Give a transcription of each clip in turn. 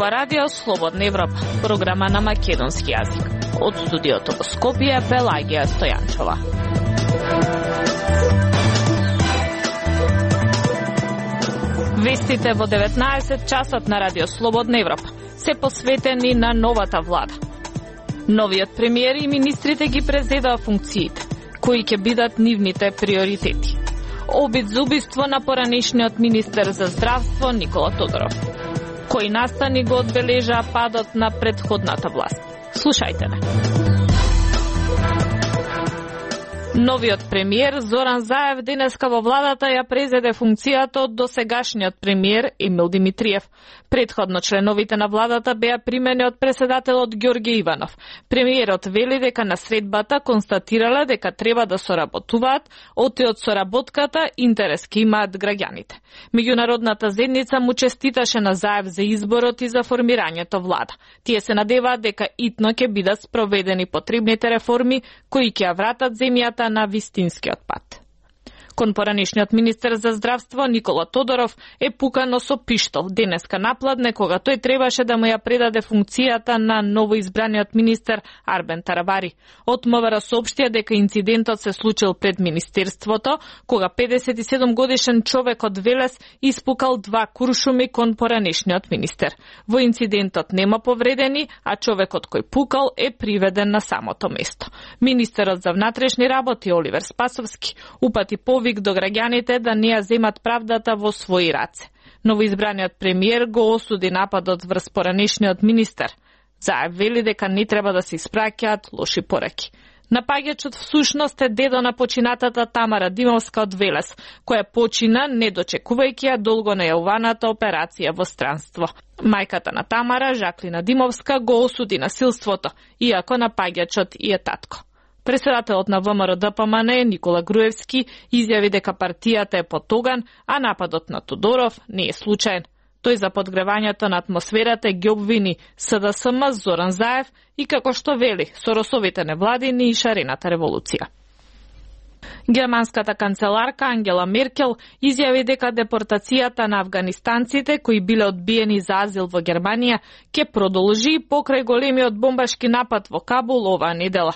Ова радио Слободна Европа, програма на македонски јазик. Од студиото во Скопје, Пелагија Стојанчова. Вестите во 19 часот на радио Слободна Европа се посветени на новата влада. Новиот премиер и министрите ги презедаа функциите, кои ќе бидат нивните приоритети. Обид за убиство на поранешниот министер за здравство Никола Тодоров. Кои настани го одбележаа падот на претходната власт. Слушајте ме. Новиот премиер Зоран Заев денеска во владата ја презеде функцијата од досегашниот премиер Емил Димитриев. Претходно членовите на владата беа примени од преседателот Ѓорѓе Иванов. Премиерот вели дека на средбата констатирале дека треба да соработуваат, оти од соработката интерес ке имаат граѓаните. Меѓународната заедница му честиташе на Заев за изборот и за формирањето влада. Тие се надеваат дека итно ќе бидат спроведени потребните реформи кои ќе ја вратат земјата на вистинскиот пат. Кон поранешниот министер за здравство Никола Тодоров е пукано со пиштол денеска напладне кога тој требаше да му ја предаде функцијата на новоизбраниот министер Арбен Тарабари. Од МВР соопштија дека инцидентот се случил пред министерството, кога 57 годишен човек од Велес испукал 2 куршуми кон поранешниот министер. Во инцидентот нема повредени, а човекот кој пукал е приведен на самото место. Министерот за внатрешни работи Оливер Спасовски упати повик до граѓаните да не ја земат правдата во своји раце. Новоизбраниот премиер го осуди нападот врз поранешниот министер. Заев вели дека не треба да се испраќаат лоши пораки. Напаѓачот всушност е дедо на починатата Тамара Димовска од Велес, која почина не дочекувајќи ја долго најавуваната операција во странство. Мајката на Тамара, Жаклина Димовска, го осуди насилството, иако напаѓачот и е татко. Председателот на ВМРО-ДПМН Никола Груевски изјави дека партијата е потоган, а нападот на Тодоров не е случаен. Тој за подгревањето на атмосферата ги обвини СДСМ Зоран Заев и како што вели Соросовите невладини и шарената револуција. Германската канцеларка Ангела Меркел изјави дека депортацијата на афганистанците кои биле одбиени за азил во Германија ќе продолжи покрај големиот бомбашки напад во Кабул оваа недела.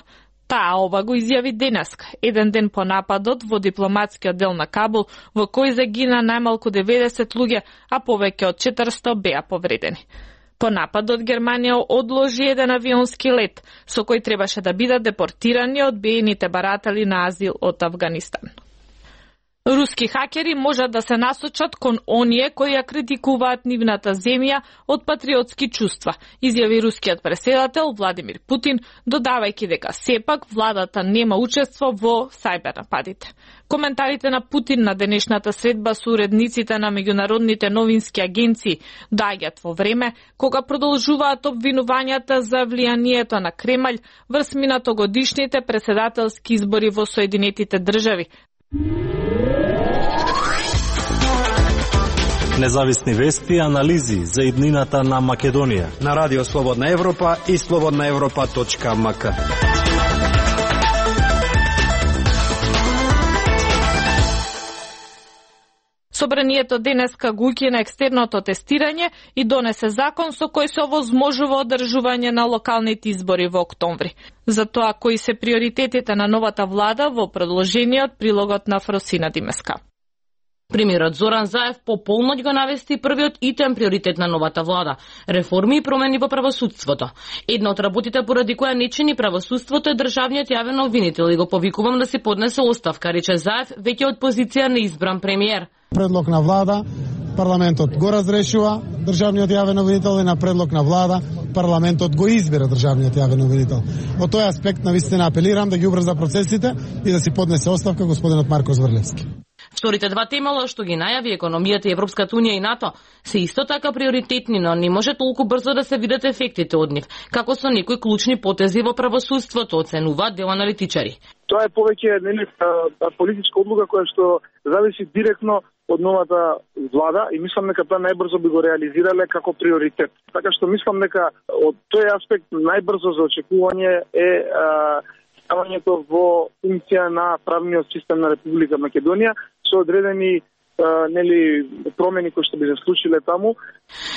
Таа ова го изјави денеска, еден ден по нападот во дипломатскиот дел на Кабул, во кој загина најмалку 90 луѓе, а повеќе од 400 беа повредени. По нападот Германија одложи еден авионски лет, со кој требаше да бидат депортирани одбиените баратели на азил од Авганистан. Руски хакери можат да се насочат кон оние кои ја критикуваат нивната земја од патриотски чувства, изјави рускиот преседател Владимир Путин, додавајќи дека сепак владата нема учество во сајбер нападите. Коментарите на Путин на денешната средба со уредниците на меѓународните новински агенции доаѓаат во време кога продолжуваат обвинувањата за влијанието на Кремљ врз минатогодишните преседателски избори во Соединетите држави. Независни вести и анализи за иднината на Македонија на Радио Слободна Европа и slobodnaevropa.mk. Собранието денеска го укина екстерното тестирање и донесе закон со кој се овозможува одржување на локалните избори во октомври. За тоа кои се приоритетите на новата влада во продолжениот прилогот на Фросина Димеска. Премиерот Зоран Заев по полноќ го навести првиот итем приоритет на новата влада – реформи и промени во правосудството. Една од работите поради која не чини правосудството е државниот јавен обвинител и го повикувам да се поднесе оставка, рече Заев веќе од позиција на избран премиер. Предлог на влада, парламентот го разрешува државниот јавен обвинител и на предлог на влада парламентот го избира државниот јавен обвинител. Во тој аспект навистина апелирам да ги убрза процесите и да си поднесе оставка господинот Марко Зврлевски. Вторите два темела што ги најави економијата и Европската унија и НАТО се исто така приоритетни, но не може толку брзо да се видат ефектите од нив, како со некои клучни потези во правосудството, оценуваат дел аналитичари. Тоа е повеќе политичка одлука која што зависи директно од новата влада и мислам дека тоа најбрзо би го реализирале како приоритет. Така што мислам дека од тој аспект најбрзо за очекување е ставањето во функција на правниот систем на Република Македонија со одредени промени кои што би се случиле таму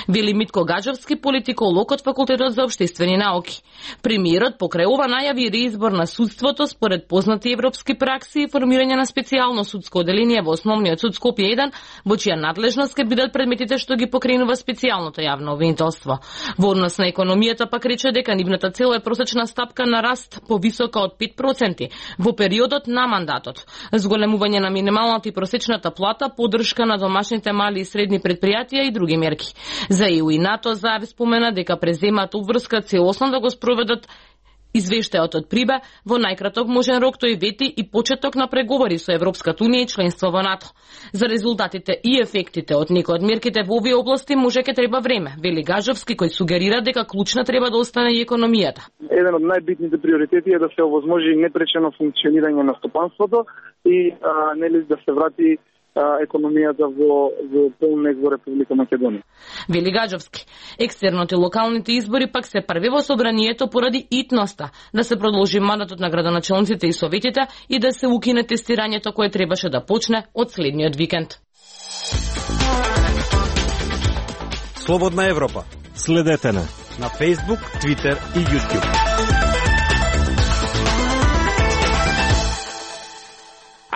Вели Митко Гаџовски, политиколог од Факултетот за општествени науки. Премиерот покрај ова најави реизбор на судството според познати европски пракси и формирање на специјално судско оделение во Основниот суд Скопје 1, во чија надлежност ќе бидат предметите што ги покренува специјалното јавно обвинителство. Во однос на економијата пак рече дека нивната цел е просечна стапка на раст повисока од 5% во периодот на мандатот. Зголемување на минималната и просечната плата, поддршка на домашните мали и средни предпријатија и други мерки. За ЕУ и НАТО Заев спомена дека преземаат обврска целосно да го спроведат извештајот од Прибе во најкраток можен рок, тој вети и почеток на преговори со Европската унија и членство во НАТО. За резултатите и ефектите од некои од мерките во овие области може ќе треба време, вели Гаџовски, кој сугерира дека клучна треба да остане и економијата. Еден од најбитните приоритети е да се овозможи непречено функционирање на стопанството и да се врати економијата во полнек во Република Македонија. Вели Гаџовски, екстерното и локалните избори пак се први во собранието поради итноста да се продолжи мандатот на градоначелниците и советите и да се укине тестирањето кое требаше да почне од следниот викенд. Слободна Европа. Следете на Facebook, Twitter и YouTube.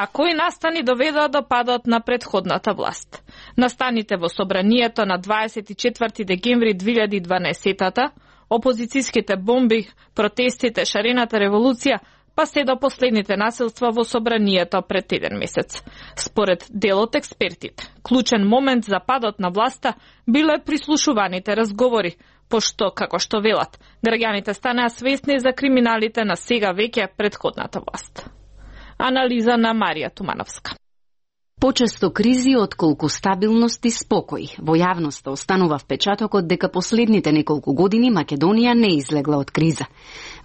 А кои настани доведоа до падот на претходната власт? Настаните во собранието на 24 декември 2012-та, опозицијските бомби, протестите, шарената револуција, па се до последните насилства во собранието пред еден месец. Според дел од експертите, клучен момент за падот на власта биле прислушуваните разговори, пошто, како што велат, граѓаните станаа свесни за криминалите на сега веќе претходната власт. Анализа на Марија Тумановска. Почесто кризи отколку стабилност и спокој. Во јавноста останува впечатокот дека последните неколку години Македонија не излегла од криза.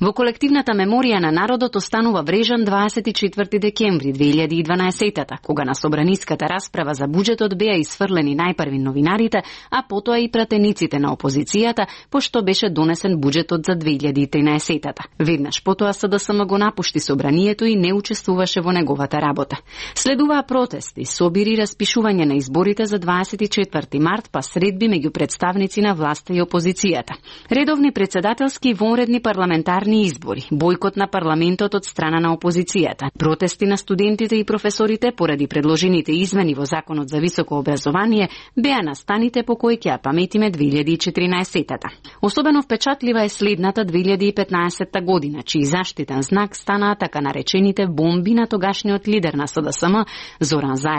Во колективната меморија на народот останува врежан 24 декември 2012-та, кога на собраниската расправа за буџетот беа исфрлени најпрви новинарите, а потоа и пратениците на опозицијата, пошто беше донесен буџетот за 2013-та. Веднаш потоа СДСМ го напушти собранието и не учествуваше во неговата работа. Следуваа протести, собири, распишување на изборите за 24 март, па средби меѓу представници на власта и опозицијата. Редовни председателски и вонредни парламентарни избори, бојкот на парламентот од страна на опозицијата, протести на студентите и професорите поради предложените измени во Законот за високо образование беа настаните по кои ќе ја паметиме 2014-та. Особено впечатлива е следната 2015 година, чиј заштитен знак станаа така наречените бомби на тогашниот лидер на СДСМ Зоран Заев.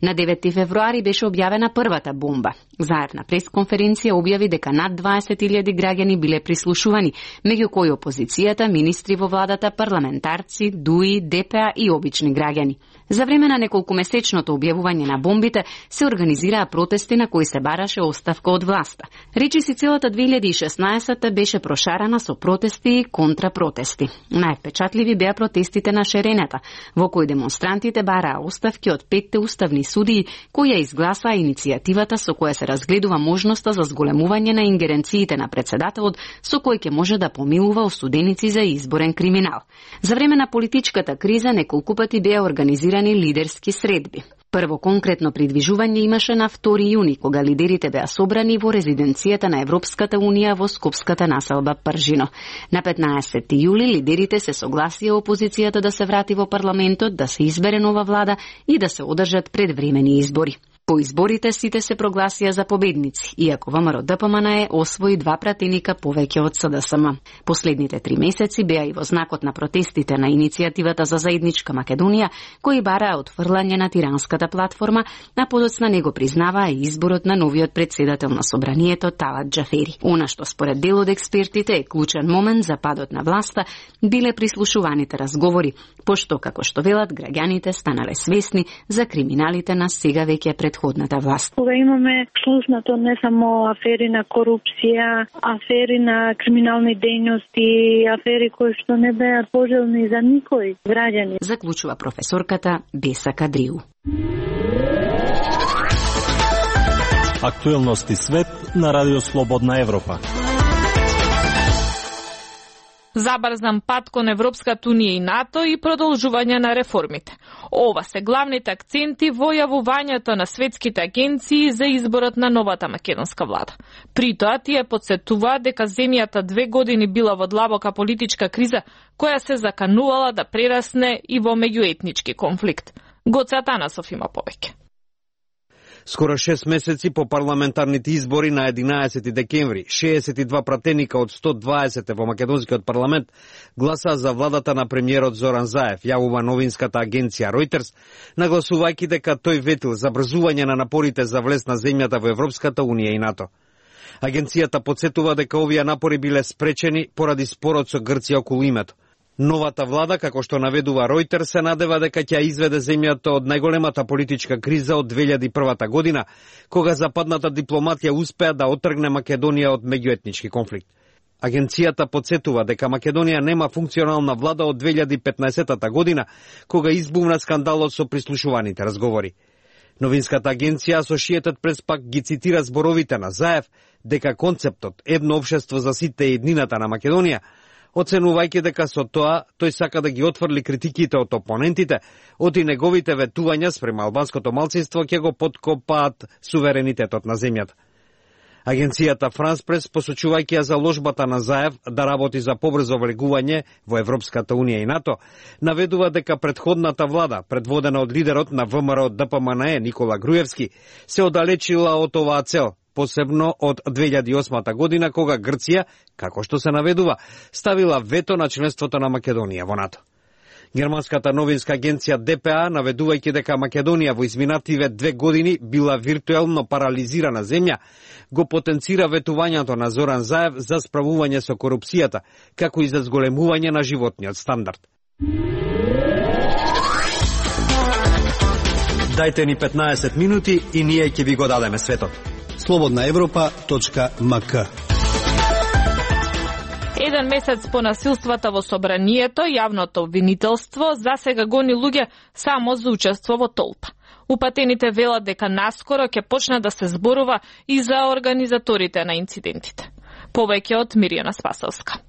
На 9 февруари беше објавена првата бомба. Заев на пресконференција објави дека над 20.000 граѓани биле прислушувани, меѓу кои опозицијата, министри во владата, парламентарци, ДУИ, ДПА и обични граѓани. За време на неколкумесечното објавување на бомбите се организираа протести на кои се бараше оставка од власта. Речиси целата 2016 беше прошарана со протести и контрапротести. Највпечатливи беа протестите на шерената, во кои демонстрантите бараа оставки од 5 уставни судии кои ја изгласаа иницијативата со која се разгледува можноста за зголемување на ингеренциите на председателот со кој ќе може да помилува осуденици за изборен криминал. За време на политичката криза неколку пати беа организирани лидерски средби. Прво конкретно придвижување имаше на 2 јуни, кога лидерите беа собрани во резиденцијата на Европската унија во скопската населба Пржино. На 15 јули лидерите се согласија опозицијата да се врати во парламентот, да се избере нова влада и да се одржат предвремени избори. По изборите сите се прогласија за победници, иако ВМРО-ДПМН освои 2 пратеника повеќе од СДСМ. Последните 3 месеци беа и во знакот на протестите на иницијативата за заедничка Македонија, кои бараа отфрлање на тиранската платформа, а подоцна него признаваа и изборот на новиот председател на собранието Талат Џафери. Она што според дел од експертите е клучен момент за падот на власта биле прислушуваните разговори, пошто, како што велат, граѓаните станале свесни за криминалите на сега веќе предходната власт. Кога имаме слушнато не само афери на корупција, афери на криминални дејности, афери кои што не беа пожелни за никој граѓани. Заклучува професорката Беса Кадриу. Актуелности свет на Радио Слободна Европа. забрзан пат кон Европската унија и НАТО и продолжување на реформите. Ова се главните акценти во јавувањето на светските агенции за изборот на новата македонска влада. При тоа тие потсетуваат дека земјата 2 години била во длабока политичка криза која се заканувала да прерасне и во меѓуетнички конфликт. Гоце Атанасов има повеќе. Скоро 6 месеци по парламентарните избори на 11 декември, 62 пратеника од 120 во македонскиот парламент гласаа за владата на премиерот Зоран Заев, јавува новинската агенција Reuters, нагласувајќи дека тој ветил забрзување на напорите за влез на земјата во Европската унија и НАТО. Агенцијата потсетува дека овие напори биле спречени поради спорот со Грција околу името. Новата влада, како што наведува Reuters, се надева дека ќе изведе земјата од најголемата политичка криза од 2001 година, кога западната дипломатија успеа да отргне Македонија од меѓуетнички конфликт. Агенцијата потсетува дека Македонија нема функционална влада од 2015 година, кога избумна скандалот со прислушуваните разговори. Новинската агенција Associated Press пак ги цитира зборовите на Заев дека концептот едно општество за сите и еднината на Македонија, оценувајќи дека со тоа тој сака да ги отфрли критиките од опонентите, оти неговите ветувања спрема албанското малцинство ќе го подкопаат суверенитетот на земјата. Агенцијата France Press, посочувајќи ја заложбата на Заев да работи за побрзо влегување во Европската унија и НАТО, наведува дека претходната влада, предводена од лидерот на ВМРО ДПМНЕ Никола Груевски, се оддалечила од оваа цел, посебно од 2008 година, кога Грција, како што се наведува, ставила вето на членството на Македонија во НАТО. Германската новинска агенција ДПА, наведувајќи дека Македонија во изминативе 2 години била виртуелно парализирана земја, го потенцира ветувањето на Зоран Заев за справување со корупцијата, како и за зголемување на животниот стандард. Дајте ни 15 минути и ние ќе ви го дадеме светот. slobodnaevropa.mk. Еден месец по насилствата во собранието, јавното обвинителство засега гони луѓе само за учество во толпа. Упатените велат дека наскоро ќе почне да се зборува и за организаторите на инцидентите. Повеќе од Мирјана Спасовска.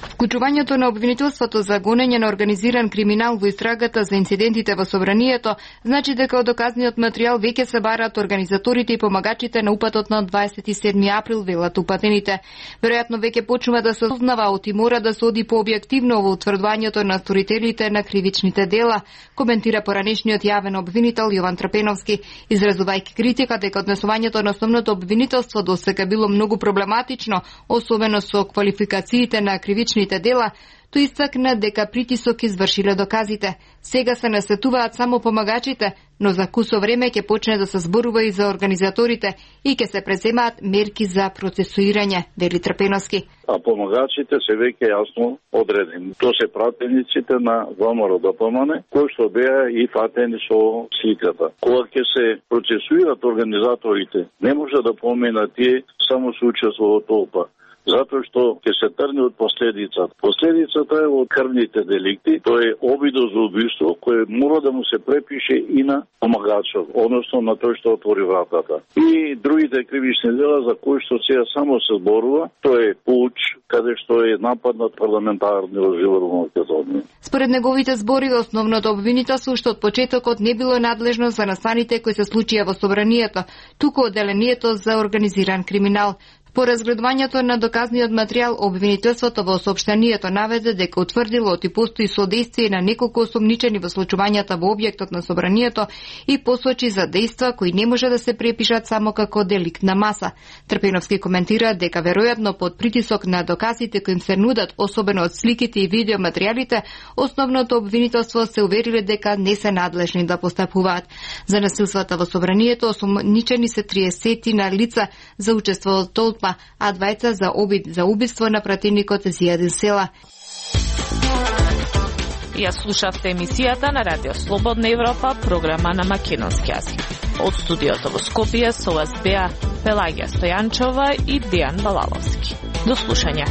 Вклучувањето на обвинителството за гонење на организиран криминал во истрагата за инцидентите во собранието значи дека од доказниот материјал веќе се бараат организаторите и помагачите на упатот на 27 април, велат упатените. Веројатно веќе почнува да се осознава оти мора да се оди пообјективно во утврдувањето на сторителите на кривичните дела, коментира поранешниот јавен обвинител Јован Трпеновски, изразувајќи критика дека однесувањето на основното обвинителство досега било многу проблематично, особено со квалификациите на кривичните дела, тој истакна дека притисок извршиле доказите. Сега се насетуваат само помагачите, но за кусо време ќе почне да се зборува и за организаторите и ќе се преземаат мерки за процесуирање, вели Трпеновски. А помагачите се веќе јасно одредени. Тоа се пратениците на ВМРО ДПМНЕ, кои што беа и фатени со сликата. Кога ќе се процесуират организаторите, не може да поминат тие само со учество во толпа, затоа што ќе се тргне од последицата. Последицата е од крвните деликти, тоа е обидо за убиство, кој мора да му се препише и на помагачот, односно на тој што отвори вратата. И другите кривични дела за кои што сега само се зборува, тоа е пуч, каде што е нападнат парламентарниот живот во Македонија. Според неговите збори, основното обвинителство што од почетокот не било надлежно за настаните кои се случија во собранието, туку одделението за организиран криминал. По разгледувањето на доказниот материјал, обвинителството во соопштението наведе дека утврдило оти постои содействие на неколку осомничени во случувањата во објектот на собранието и посочи за дејства кои не може да се препишат само како деликтна маса. Трпеновски коментира дека веројатно под притисок на доказите кои им се нудат, особено од сликите и видеоматеријалите, основното обвинителство се увериле дека не се надлежни да постапуваат. За насилствата во собранието осомничени се 30 на лица за учество во толпа, а 2 за обид за убиство на пратеникот Зијадин Села. Ја слушавте емисијата на Радио Слободна Европа, програма на македонски јазик. Од студиото во Скопје со вас беа Пелагија Стојанчова и Дејан Балаловски. До слушање.